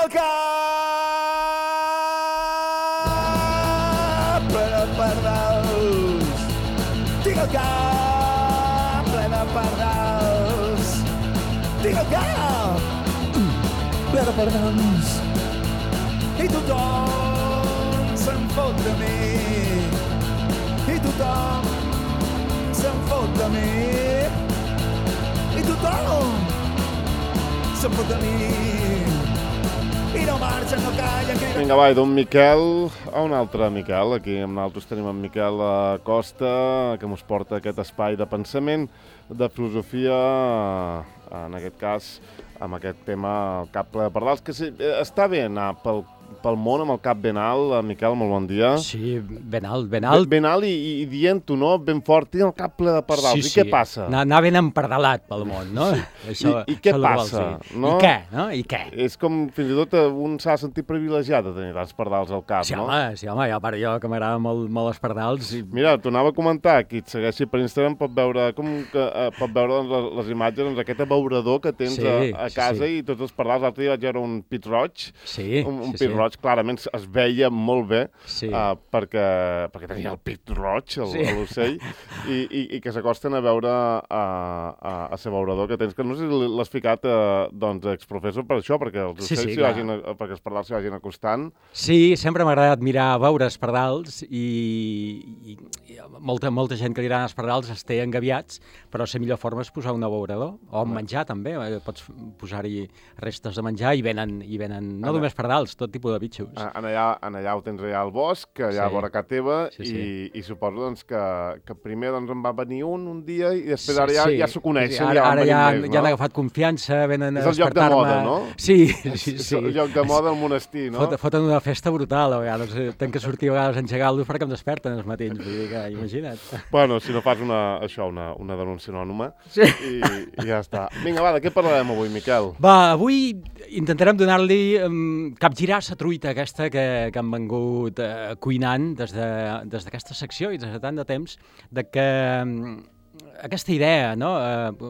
el cap ple de pardals. Tinc el cap ple de pardals. Tinc el cap ple de pardals. I tothom se'n fot de mi. I tothom se'n fot de mi. I tothom se'n fot de mi. I no marxa, no calla. Vinga, va, d'un Miquel a un altre Miquel. Aquí amb nosaltres tenim en Miquel Costa, que ens porta aquest espai de pensament, de filosofia, en aquest cas, amb aquest tema, el cap ple de pardals, que sí, està bé anar pel món amb el cap ben alt. Miquel, molt bon dia. Sí, ben alt, ben alt. Ben alt i dient-ho, no? Ben fort, tinc el cap ple de pardals. Sí, I què passa? Anar ben empardalat pel món, no? Això, I què passa? No? I què, no? I què? És com, fins i tot, un s'ha sentit privilegiat de tenir els pardals al cap, sí, no? Sí, home, jo que m'agrada molt els pardals. I... Mira, t'ho anava a comentar, qui et segueixi per Instagram pot veure doncs, les imatges, doncs, aquest abeurador que tens a casa i tots els pardals. L'altre dia vaig veure un pit roig, un pit roig, clarament es veia molt bé, perquè tenia el pit roig, l'ocell, i que s'acosten a veure a l'abeurador que tens, que no sé si l'has ficat exprofessor per això, perquè els ocells perquè els pardals s'hi vagin acostant. Sí, sempre m'ha agradat mirar veure els pardals i molta gent que dirà els pardals es té engaviats, però la millor forma és posar un abeurador, o menjar també, pots posar-hi restes de menjar i venen no només pardals, tot tipus de bitxos. Allà ho tens allà al bosc, allà a vora casa teva, i suposo doncs, que primer doncs, en va venir un dia i després ara ja s'ho coneixen. Ara ja han agafat confiança, venen a despertar-me. És el lloc de moda, no? Sí. És el lloc de moda al monestir, no? Foten una festa brutal, a vegades. Tenc que sortir a vegades a engegar-los perquè em desperten els matins, vull dir que imagina't. Bueno, si no fas una denúncia anònima, i ja està. Vinga, va, de què parlarem avui, Miquel? Va, avui intentarem donar-li capgirar la truita aquesta que han vengut cuinant des d'aquesta secció i des de tant de temps, de que aquesta idea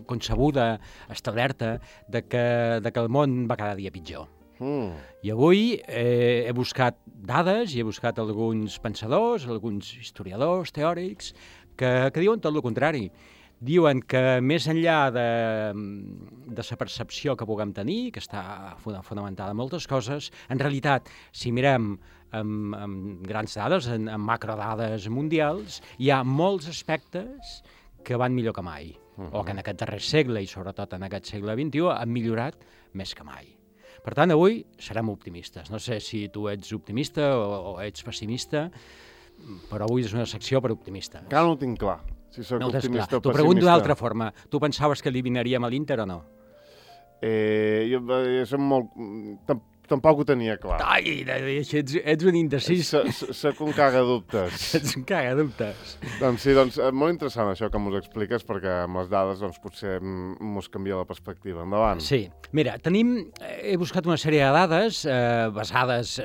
concebuda, establerta, de que el món va cada dia pitjor. I avui he buscat dades i he buscat alguns pensadors, alguns historiadors, teòrics, que diuen tot el contrari. Diuen que més enllà de la percepció que puguem tenir, que està fonamentada en moltes coses, en realitat, si mirem amb grans dades, amb macrodades mundials, hi ha molts aspectes que van millor que mai, o que en aquest darrer segle, i sobretot en aquest segle XXI, han millorat més que mai. Per tant, avui serem optimistes. No sé si tu ets optimista o ets pessimista, però avui és una secció per optimistes. Encara no ho tinc clar, si soc optimista o pessimista. T'ho pregunto d'una altra forma. Tu pensaves que eliminaríem a l'Inter o no? Jo som molt... Tampoc ho tenia clar. Ai, ets un indecís. Soc un cagadubtes. Ets un cagadubtes. Doncs sí, molt interessant això que m'ho expliques, perquè amb les dades potser m'ho canvia la perspectiva. Endavant. Sí. Mira, he buscat una sèrie de dades basades,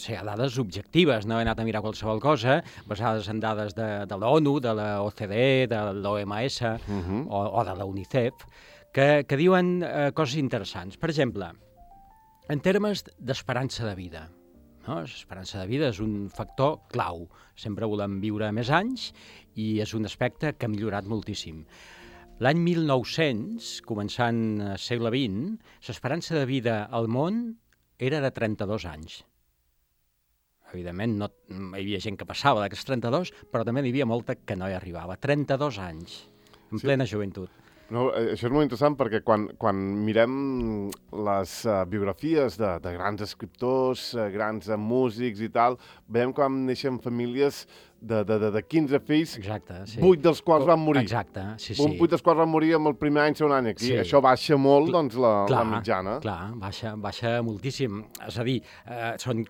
dades objectives, no he anat a mirar qualsevol cosa, basades en dades de l'ONU, de la OCDE, de l'OMS o de la UNICEF, que diuen coses interessants. Per exemple, en termes d'esperança de vida. L'esperança de vida és un factor clau. Sempre volem viure més anys i és un aspecte que ha millorat moltíssim. L'any 1900, començant al segle XX, l'esperança de vida al món era de 32 anys. Evidentment, hi havia gent que passava d'aquests 32, però també n'hi havia molta que no hi arribava. 32 anys, en plena joventut. No, això és molt interessant perquè quan mirem les biografies de grans escriptors, grans músics i tal, veiem com neixen famílies de 15 fills, 8 dels quals van morir. Exacte, sí. 8 dels quals van morir amb el primer any, segon any. Aquí això baixa molt, doncs, la mitjana. Clar, baixa moltíssim. És a dir,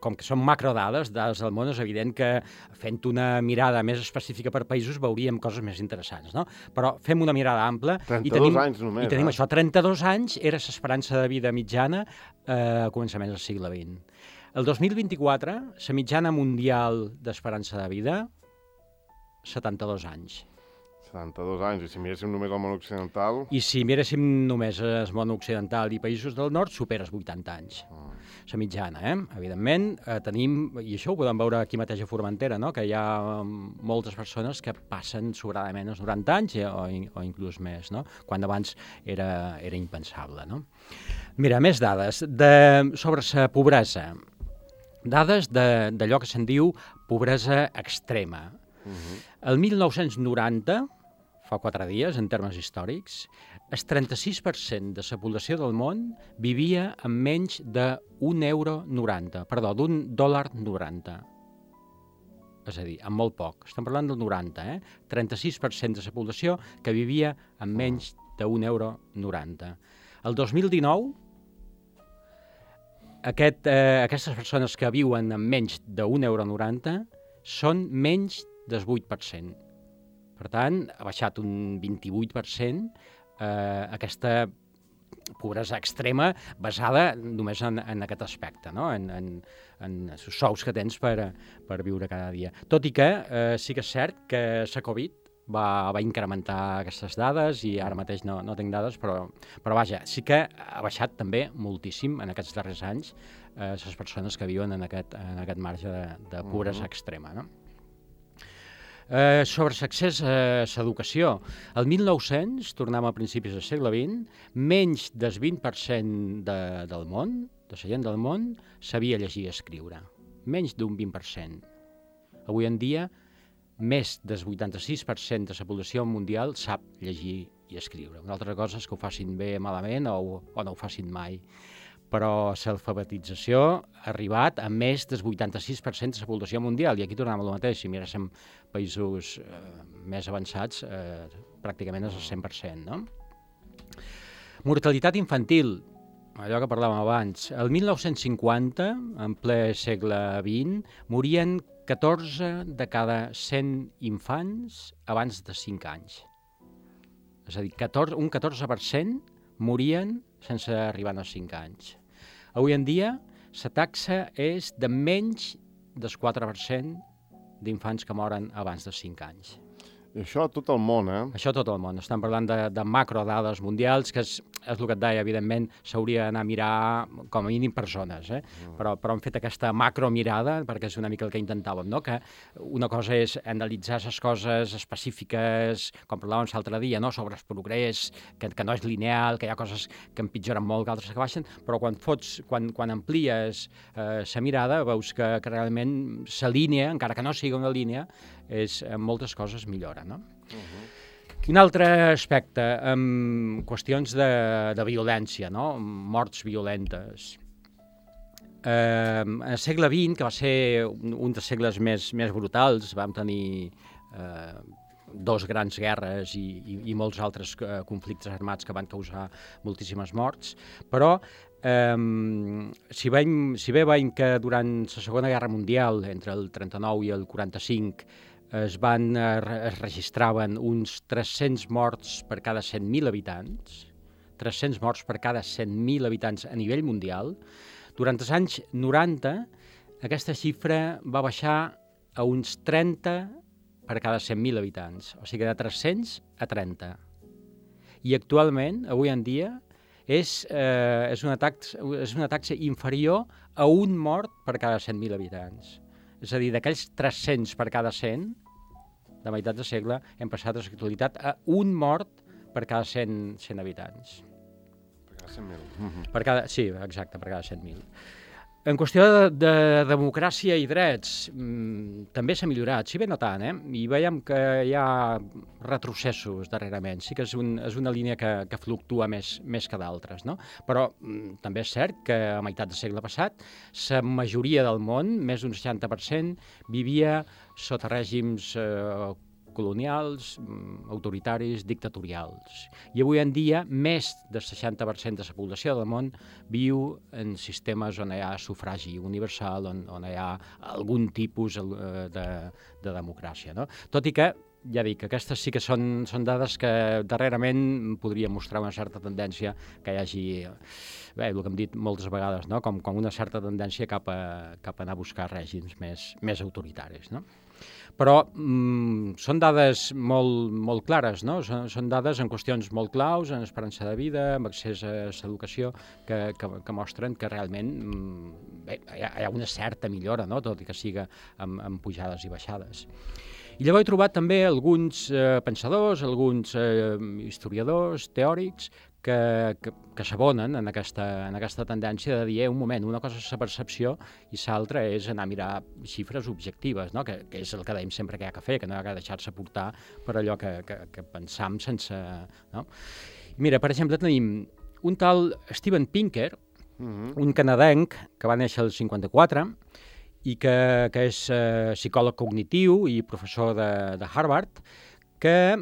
com que són macrodades, dades del món, és evident que fent una mirada més específica per països veuríem coses més interessants, no? Però fem una mirada ampla i tenim això. 32 anys era l'esperança de vida mitjana a començaments del segle XX. El 2024, la mitjana mundial d'esperança de vida, 72 anys. 72 anys, i si miréssim només el món occidental... I si miréssim només el món occidental i països del nord, superes 80 anys. La mitjana, evidentment, tenim, i això ho podem veure aquí mateix a Formentera, no? Que hi ha moltes persones que passen sobradament els 90 anys o inclús més, no? Quan abans era impensable, no? Mira, més dades sobre la pobresa. Dades d'allò que se'n diu pobresa extrema. El 1990, fa 4 dies, en termes històrics, el 36% de la població del món vivia amb menys d'1,90 €, d'un $1.90. És a dir, amb molt poc. Estem parlant del 90, 36% de la població que vivia amb menys d'1,90 €. El 2019, aquestes persones que viuen amb menys d'1,90 € són menys del 8%. Per tant, ha baixat un 28% aquesta pobresa extrema basada només en aquest aspecte, no? En els sous que tens per viure cada dia. Tot i que sí que és cert que la Covid va incrementar aquestes dades i ara mateix no tinc dades, però vaja, sí que ha baixat també moltíssim en aquests darrers anys les persones que viuen en aquest marge de pobresa extrema, no? Sobre l'accés a l'educació. El 1900, tornem a principis del segle XX, menys del 20% del món, de la gent del món, sabia llegir i escriure. Menys d'un 20%. Avui en dia, més del 86% de la població mundial sap llegir i escriure. Una altra cosa és que ho facin bé malament o no ho facin mai. Però l'alfabetització ha arribat a més del 86% de la població mundial, i aquí tornem al mateix. Si miréssim països més avançats, pràcticament és el 100%, no? Mortalitat infantil, allò que parlàvem abans. El 1950, en ple segle XX, morien 14 de cada 100 infants abans de 5 anys. És a dir, un 14% morien sense arribar als 5 anys. Avui en dia, la taxa és de menys del 4% d'infants que moren abans dels 5 anys. I això a tot el món, Això a tot el món. Estem parlant de macrodades mundials, que és el que et deia, evidentment, s'hauria d'anar a mirar com a mínim per zones, però hem fet aquesta macromirada, perquè és una mica el que intentàvem, no? Que una cosa és analitzar les coses específiques, com parlàvem l'altre dia, no? Sobre el progrés, que no és lineal, que hi ha coses que empitjoren molt, que altres que baixen, però quan amplies la mirada, veus que realment la línia, encara que no sigui una línia, en moltes coses millora, no? Un altre aspecte, qüestions de violència, no? Morts violentes. Al segle XX, que va ser un dels segles més brutals, vam tenir 2 grans guerres i molts altres conflictes armats que van causar moltíssimes morts, però si bé veiem que durant la Segona Guerra Mundial, entre el 39 i el 45, es registraven uns 300 morts per cada 100.000 habitants, 300 morts per cada 100.000 habitants a nivell mundial. Durant els anys 90, aquesta xifra va baixar a uns 30 per cada 100.000 habitants, o sigui, de 300 a 30. I actualment, avui en dia, és una taxa inferior a un mort per cada 100.000 habitants. És a dir, d'aquells 300 per cada 100, de meitat del segle, hem passat a l'actualitat a un mort per cada 100 habitants. Per cada 100.000. Sí, exacte, per cada 100.000. En qüestió de democràcia i drets, també s'ha millorat, si bé no tant, i veiem que hi ha retrocessos darrerament. Sí que és una línia que fluctua més que d'altres, no? Però també és cert que a meitat del segle passat la majoria del món, més d'un 60%, vivia sota règims colonials, autoritaris, dictatorials. I avui en dia, més del 60% de la població del món viu en sistemes on hi ha sufragi universal, on hi ha algun tipus de democràcia, no? Tot i que ja dic, aquestes sí que són dades que darrerament podrien mostrar una certa tendència que hi hagi, bé, el que hem dit moltes vegades, no? com una certa tendència cap a anar a buscar règims més autoritaris, no? Però són dades molt clares, no? Són dades en qüestions molt claus, en esperança de vida, amb accés a l'educació, que mostren que realment bé, hi ha una certa millora, no? Tot i que siga amb pujades i baixades. I llavors he trobat també alguns pensadors, alguns historiadors, teòrics, que s'abonen en aquesta tendència de dir, un moment, una cosa és la percepció i l'altra és anar a mirar xifres objectives, no? que és el que dèiem sempre que hi ha que fer, que no hi ha que deixar-se portar per allò que pensam sense... No? Mira, per exemple, tenim un tal Steven Pinker, un canadenc que va néixer al 54 i que és psicòleg cognitiu i professor de Harvard, que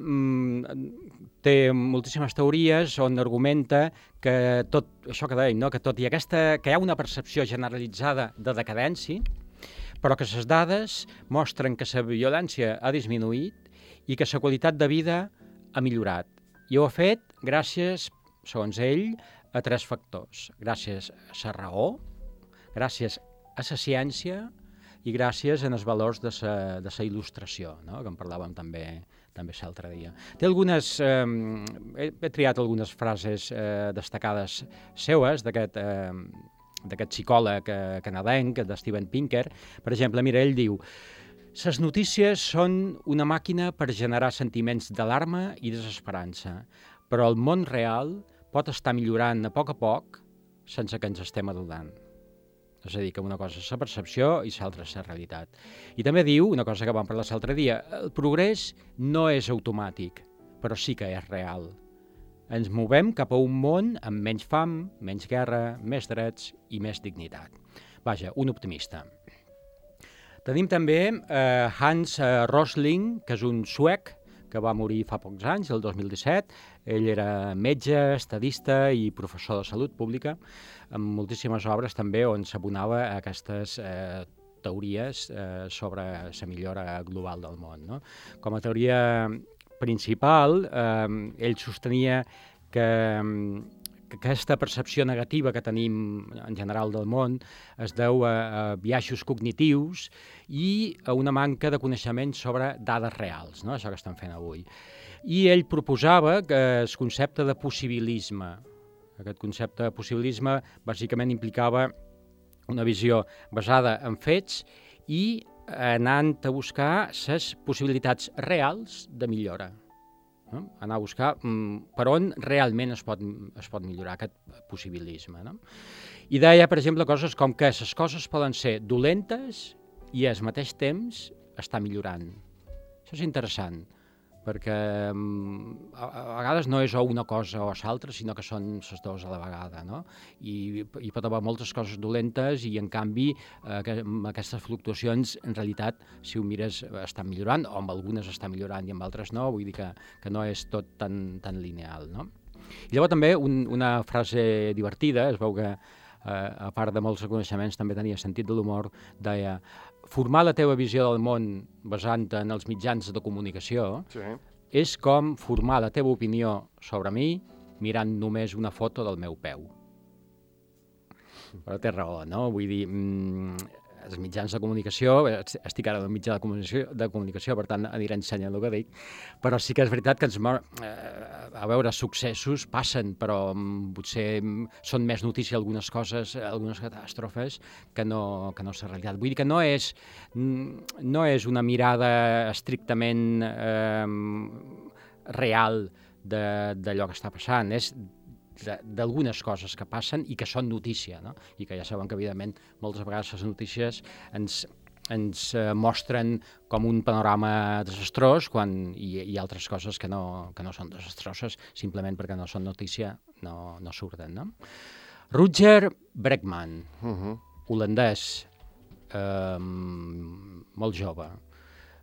té moltíssimes teories on argumenta que tot això que dèiem, no? que tot i que hi ha una percepció generalitzada de decadència, però que les dades mostren que la violència ha disminuït i que la qualitat de vida ha millorat. I ho ha fet gràcies, segons ell, a 3 factors. Gràcies a la raó, gràcies a la ciència i gràcies als valors de la il·lustració, no? que en parlàvem també l'altre dia. Té algunes... he triat algunes frases destacades seues d'aquest psicòleg canadenc, de Steven Pinker. Per exemple, mira, ell diu: les notícies són una màquina per generar sentiments d'alarma i desesperança, però el món real pot estar millorant a poc sense que ens estem adonant. És a dir, que una cosa és la percepció i l'altra és la realitat. I també diu, una cosa que vam parlar l'altre dia, el progrés no és automàtic, però sí que és real. Ens movem cap a un món amb menys fam, menys guerra, més drets i més dignitat. Vaja, un optimista. Tenim també Hans Rosling, que és un suec que va morir fa pocs anys, el 2017. Ell era metge, estadista i professor de salut pública, amb moltíssimes obres també on s'abonava a aquestes teories sobre la millora global del món. No? Com a teoria principal, ell sostenia que aquesta percepció negativa que tenim en general del món es deu a biaixos cognitius i a una manca de coneixement sobre dades reals, no? Això que estem fent avui. I ell proposava que el concepte de possibilisme, aquest concepte de possibilisme bàsicament implicava una visió basada en fets i anant a buscar les possibilitats reals de millora. No? Anar a buscar per on realment es pot millorar aquest possibilisme. No? I deia, per exemple, coses com que les coses poden ser dolentes i al mateix temps estar millorant. Això és interessant, perquè a vegades no és o una cosa o l'altra, sinó que són les dues a la vegada. No? I pot haver moltes coses dolentes i, en canvi, amb aquestes fluctuacions, en realitat, si ho mires, estan millorant, o amb algunes estan millorant i amb altres no, vull dir que no és tot tan lineal. No? I llavors també una frase divertida, es veu que a part de molts reconeixements també tenia sentit de l'humor, deia: formar la teva visió del món basant-te en els mitjans de comunicació és com formar la teva opinió sobre mi mirant només una foto del meu peu. Però té raó, no? Vull dir, els mitjans de comunicació, estic ara en el mitjà de comunicació, per tant aniré ensenyant el que dic, però sí que és veritat que a veure, successos passen, però potser són més notícia algunes coses, algunes catàstrofes, que no és la realitat. Vull dir que no és una mirada estrictament real d'allò que està passant, és d'algunes coses que passen i que són notícia, no? I que ja saben que, evidentment, moltes vegades les notícies ens mostren com un panorama desastrós i altres coses que no són desastroses, simplement perquè no són notícia, no surten. No? Rutger Bregman, holandès, molt jove,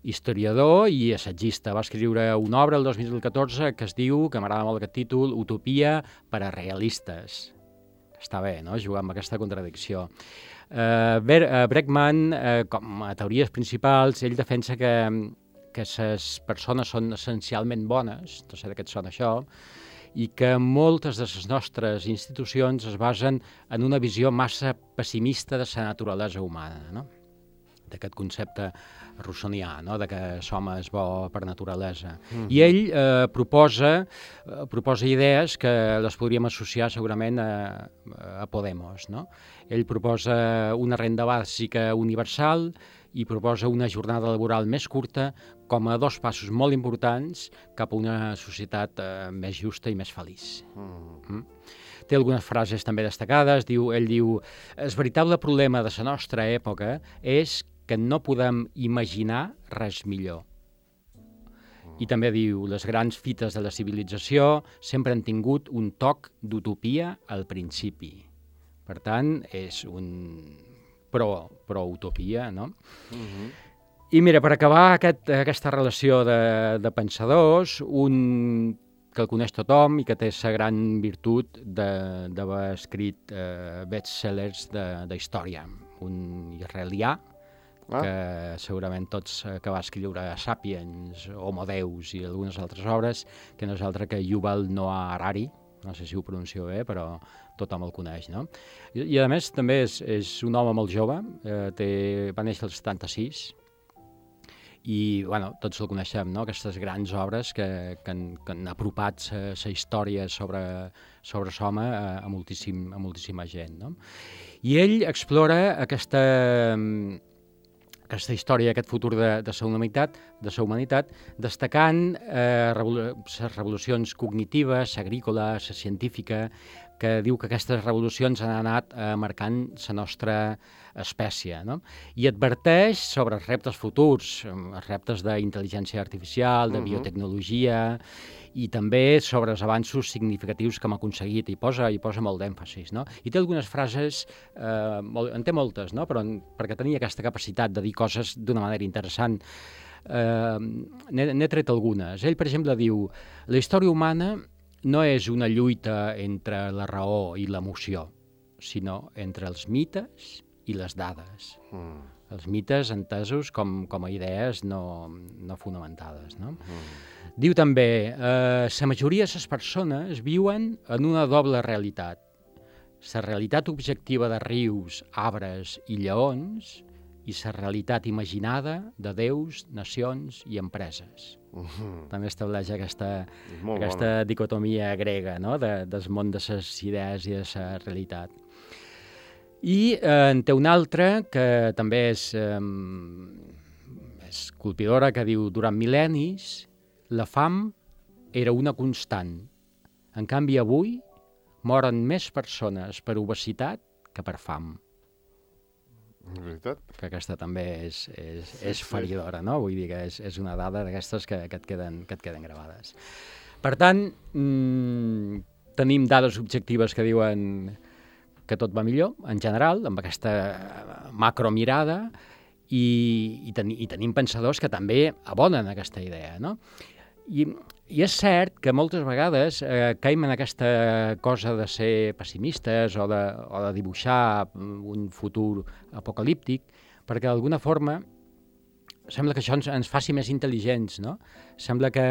historiador i assagista. Va escriure una obra el 2014 que es diu, que m'agrada molt aquest títol, Utopia per a realistes. Està bé, no?, jugar amb aquesta contradicció. Bregman, com a teories principals, ell defensa que que les persones són essencialment bones, no sé de què et sona això, i que moltes de les nostres institucions es basen en una visió massa pessimista de la naturalesa humana, no? D'aquest concepte russonià, no? De que l'home és bo per naturalesa. I ell proposa idees que les podríem associar segurament a Podemos, no? Ell proposa una renda bàsica universal i proposa una jornada laboral més curta com a 2 passos molt importants cap a una societat més justa i més feliç. Té algunes frases també destacades. Ell diu: el veritable problema de la nostra època és que no podem imaginar res millor. I també diu: les grans fites de la civilització sempre han tingut un toc d'utopia al principi. Per tant, és un pro-utopia, no? I mira, per acabar aquesta relació de pensadors, un que el coneix tothom i que té la gran virtut d'haver escrit bestsellers d'història, un israelià, que segurament tots que va escriure Sapiens, Homo Deus i algunes altres obres, que no és altre que Yuval Noah Harari, no sé si ho pronuncio bé, però tothom el coneix, no? I a més també és un home molt jove, va néixer el 76, i bueno, tots el coneixem, no? Aquestes grans obres que han apropat la història sobre l'home a moltíssima gent, no? I ell explora aquesta història, aquest futur de la humanitat, destacant les revolucions cognitives, l'agrícola, la científica, que diu que aquestes revolucions han anat marcant la nostra espècie, no? I adverteix sobre els reptes futurs, els reptes d'intel·ligència artificial, de biotecnologia, i també sobre els avanços significatius que hem aconseguit, i posa molt d'èmfasis, no? I té algunes frases, en té moltes, no? Però perquè tenia aquesta capacitat de dir coses d'una manera interessant, n'he tret algunes. Ell, per exemple, diu: la història humana no és una lluita entre la raó i l'emoció, sinó entre els mites i les dades. Els mites entesos com a idees no fonamentades, no? Diu també: la majoria de les persones viuen en una doble realitat. La realitat objectiva de rius, arbres i lleons i la realitat imaginada de déus, nacions i empreses. També estableix aquesta dicotomia grega, no? Del món de les idees i de la realitat. I en té una altra que també és colpidora, que diu: durant mil·lennis la fam era una constant. En canvi, avui moren més persones per obesitat que per fam. Veritat. Que aquesta també és feridora, no? Vull dir que és una dada d'aquestes que et queden gravades. Per tant, tenim dades objectives que diuen que tot va millor, en general, amb aquesta macromirada, i tenim pensadors que també abonen aquesta idea, no? I és cert que moltes vegades caiem en aquesta cosa de ser pessimistes o de dibuixar un futur apocalíptic, perquè d'alguna forma sembla que això ens faci més intel·ligents, no? Sembla que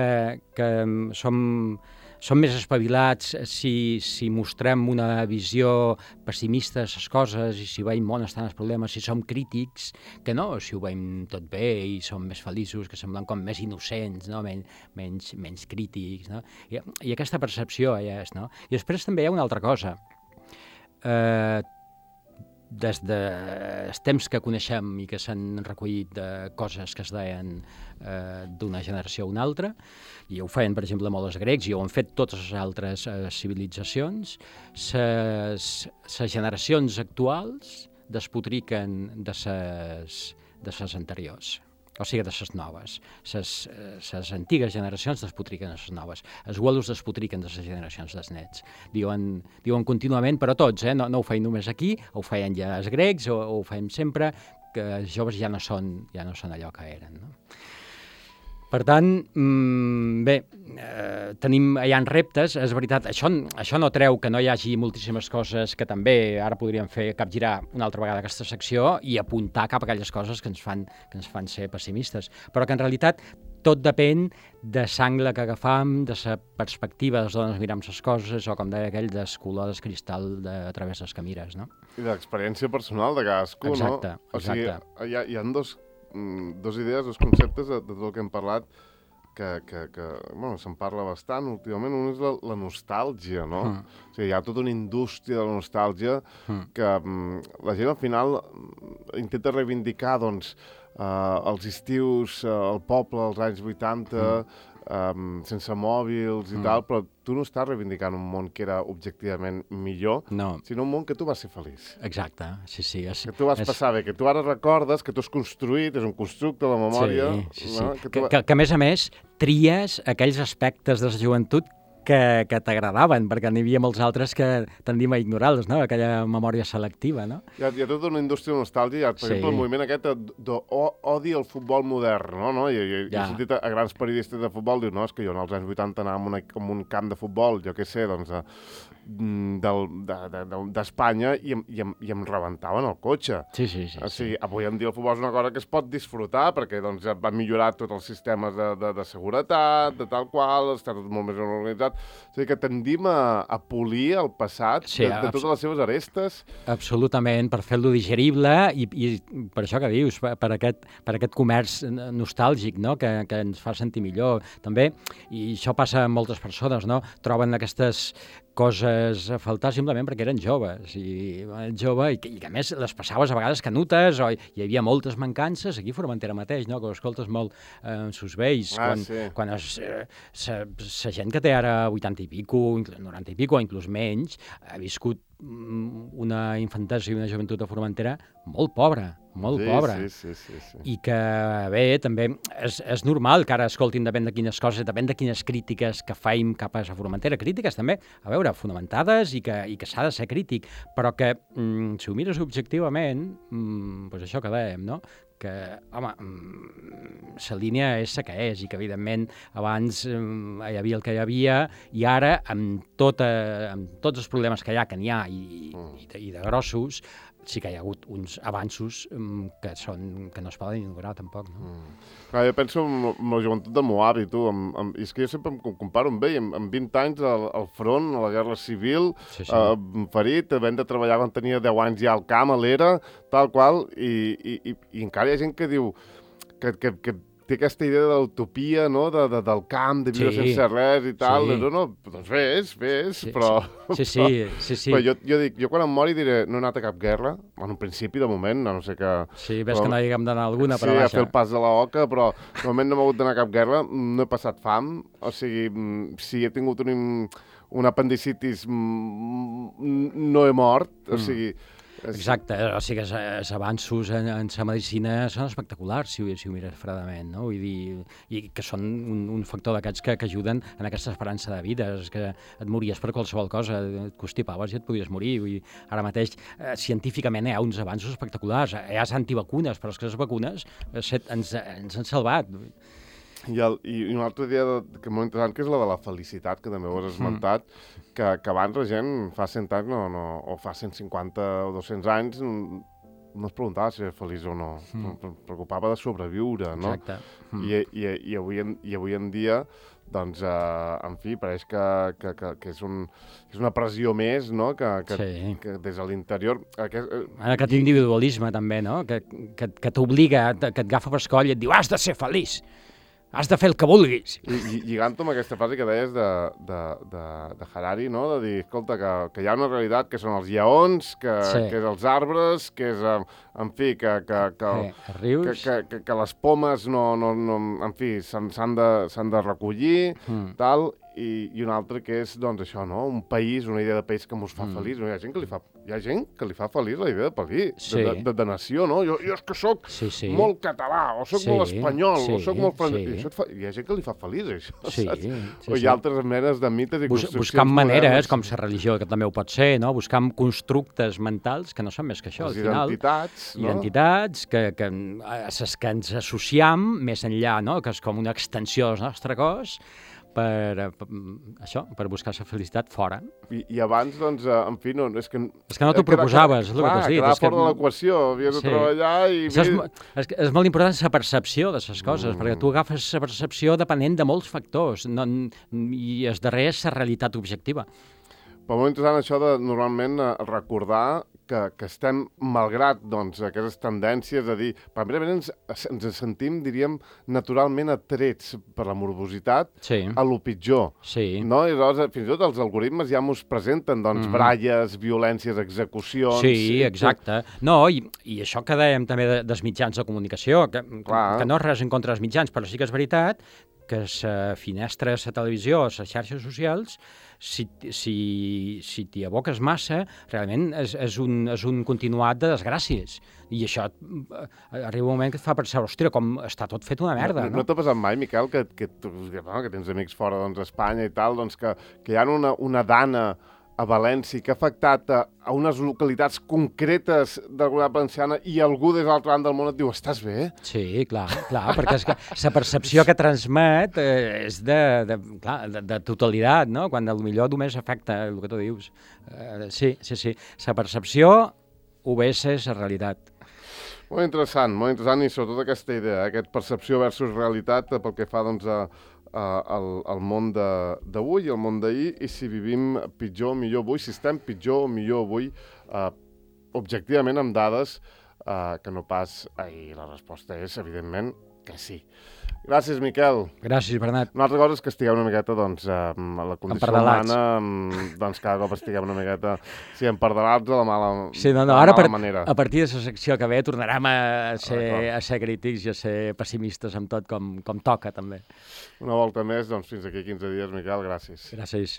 som més espavilats si mostrem una visió pessimista de les coses i si veiem on estan els problemes, si som crítics, que no, si ho veiem tot bé i som més feliços, que semblem com més innocents, no? menys crítics, no? I aquesta percepció ja és, no? I després també hi ha una altra cosa. Des dels temps que coneixem i que s'han recollit coses que es deien d'una generació a una altra, i ho feien, per exemple, molt els grecs, i ho han fet totes les altres civilitzacions, les generacions actuals despotriquen de les anteriors, o sigui, de les noves. Les antigues generacions despotriquen de les noves. Els abuelos despotriquen de les generacions dels nets. Diuen contínuament, però tots, no ho feien només aquí, ho feien ja els grecs, o ho feien sempre, que els joves ja no són allò que eren, no? Per tant, bé, hi ha reptes, és veritat, això no treu que no hi hagi moltíssimes coses que també ara podríem fer capgirar una altra vegada aquesta secció i apuntar cap a aquelles coses que ens fan ser pessimistes, però que en realitat tot depèn de l'angle que agafam, de la perspectiva des d'on miram les coses, o com deia aquell, del color del cristall a través dels que mires, no? I de l'experiència personal de cadascú, exacte, no? Exacte. O sigui, hi ha dos idees, dos conceptes de tot el que hem parlat que bueno, se'n parla bastant últimament. Un és la nostàlgia, no? O sigui, hi ha tota una indústria de la nostàlgia que la gent al final intenta reivindicar, doncs, els estius, el poble als anys 80, sense mòbils i tal, però tu no estàs reivindicant un món que era objectivament millor, sinó un món que tu vas ser feliç. Exacte, sí. Que tu vas passar bé, que tu ara recordes, que tu has construït, és un constructe de la memòria. Sí. No? Que a més, tries aquells aspectes de la joventut que t'agradaven, perquè n'hi havia molts altres que tendim a ignorar-los, no? Aquella memòria selectiva, no? Hi ha tota una indústria de nostàlgia, per exemple, el moviment aquest d'odi al futbol modern, no? I he sentit a grans periodistes de futbol dir, no, és que jo en els anys 80 anava a un camp de futbol, jo què sé, doncs, d'Espanya i em rebentaven el cotxe. Sí. O sigui, avui en dia el futbol és una cosa que es pot disfrutar, perquè doncs, va millorar tots els sistemes de seguretat, de tal qual, està tot molt més organitzat. O sigui que tendim a polir el passat de totes les seves arestes. Absolutament, per fer-lo digerible i per això que dius, per aquest comerç nostàlgic, no? Que ens fa sentir millor. També, i això passa amb moltes persones, no? Troben aquestes coses a faltar simplement perquè eren joves i a més les passaves a vegades canutes o hi havia moltes mancances aquí a Formentera mateix, no? Que ho escoltes molt sus vells, quan la gent que té ara 80 i pico, 90 i pico o inclús menys, ha viscut una infantesa i una joventut a Formentera molt pobra. Sí. I que, bé, també és normal que ara escoltin depèn de quines coses, depèn de quines crítiques que faim cap a Formentera. Crítiques també, a veure, fonamentades i que s'ha de ser crític, però que, si ho mires objectivament, doncs això que dèiem, no? Que, home, la línia és la que és i que, evidentment, abans hi havia el que hi havia i ara, amb tots els problemes que n'hi ha i de grossos, sí que hi ha hagut uns avanços que no es poden ignorar, tampoc, no? Jo penso en la joventut de Moab i tu, i és que jo sempre em comparo amb ell, amb 20 anys al front, a la guerra civil, ferit, havent de treballar quan tenia 10 anys ja al camp, a l'era, tal qual, i encara hi ha gent que diu que té aquesta idea de l'utopia, no?, del camp, de viure sense res i tal. Doncs ves, però... Sí. Però jo dic, jo quan em mori diré, no he anat a cap guerra, en un principi, de moment, no sé què... Sí, ves que no hi haguem d'anar a alguna, però vaja. Sí, a fer el pas de la oca, però de moment no m'he hagut d'anar a cap guerra, no he passat fam, o sigui, si he tingut un apendicitis, no he mort, o sigui... Exacte, o sigui que els avanços en la medicina són espectaculars, si ho mires fredament, no? Vull dir, i que són un factor d'aquests que ajuden en aquesta esperança de vida, és que et mories per qualsevol cosa, et constipaves i et podies morir. Vull dir, ara mateix, científicament hi ha uns avanços espectaculars, hi ha antivacunes, però és que les vacunes ens han salvat. I una altra idea que és molt interessant, que és la de la felicitat, que també ho has esmentat, que abans la gent fa 100 anys o fa 150 o 200 anys no es preguntava si era feliç o no, es preocupava de sobreviure, no? Exacte. I avui en dia, doncs, en fi, pareix que és una pressió més, no?, que des de l'interior... Aquest individualisme, també, no?, que t'obliga, que et agafa per escoll i et diu has de ser feliç. Has de fer el que vulguis. I lligant-ho amb aquesta frase que deies de Harari, no? De dir, escolta, que hi ha una realitat que són els lleons, que és els arbres, que és, en fi, que les pomes en fi, s'han de recollir, tal, i un altre que és, doncs, això, no? Un país, una idea de país que mos fa feliç. Hi ha gent que li fa feliç la idea de país, de nació, no? Jo és que soc molt català, o soc molt espanyol, o soc molt francès. Hi ha gent que li fa feliç, això, saps? O hi ha altres menes de mites i construccions buscant maneres, com la religió, que també ho pot ser, no? Buscant constructes mentals que no són més que això, al final. Identitats, que ens associam més enllà, no? Que és com una extensió del nostre cos, per buscar la felicitat fora. I abans, doncs, en fi, no, és que... És que no t'ho proposaves, és el que t'has dit. Quedava fora de l'equació, havies de treballar i... És molt important la percepció de les coses, perquè tu agafes la percepció depenent de molts factors, i el darrer és la realitat objectiva. Però molt interessant això de, normalment, recordar que estem, malgrat doncs, aquestes tendències a dir... Primerament ens sentim, diríem, naturalment atrets per la morbositat a lo pitjor. Sí. No? I llavors, fins i tot els algoritmes ja mos presenten doncs, bralles, violències, execucions... Sí, exacte. No, i això que dèiem també dels mitjans de comunicació, que no és res en contra dels mitjans, però sí que és veritat que la finestra de la televisió, les xarxes socials, si t'hi aboques massa, realment és un continuat de desgràcies. I això arriba un moment que et fa pensar, ostres, com està tot fet una merda, no? No t'ha passat mai, Miquel, que tens amics fora d'Espanya i tal, que hi ha una dana a València que ha afectat a unes localitats concretes de la comunitat valenciana i algú des de l'altre banda del món et diu, estàs bé? Sí, clar, perquè és que la percepció que transmet és de totalitat, no? Quan potser només afecta el que tu dius. Sí. La percepció obeeix la realitat. Molt interessant, i sobretot aquesta idea, aquest percepció versus realitat pel que fa, doncs, al món d'avui i al món d'ahir, i si vivim pitjor o millor avui, si estem pitjor o millor avui, objectivament amb dades que no pas ahir. La resposta és, evidentment, que sí. Gràcies, Miquel. Gràcies, Bernat. Una altra cosa és que estiguem una miqueta, doncs, a la condició humana, doncs cada cop estiguem una miqueta, empardelats de la mala manera. A partir de la secció que ve tornarem a ser crítics i a ser pessimistes amb tot com toca, també. Una volta més, doncs, fins aquí 15 dies, Miquel, gràcies. Gràcies.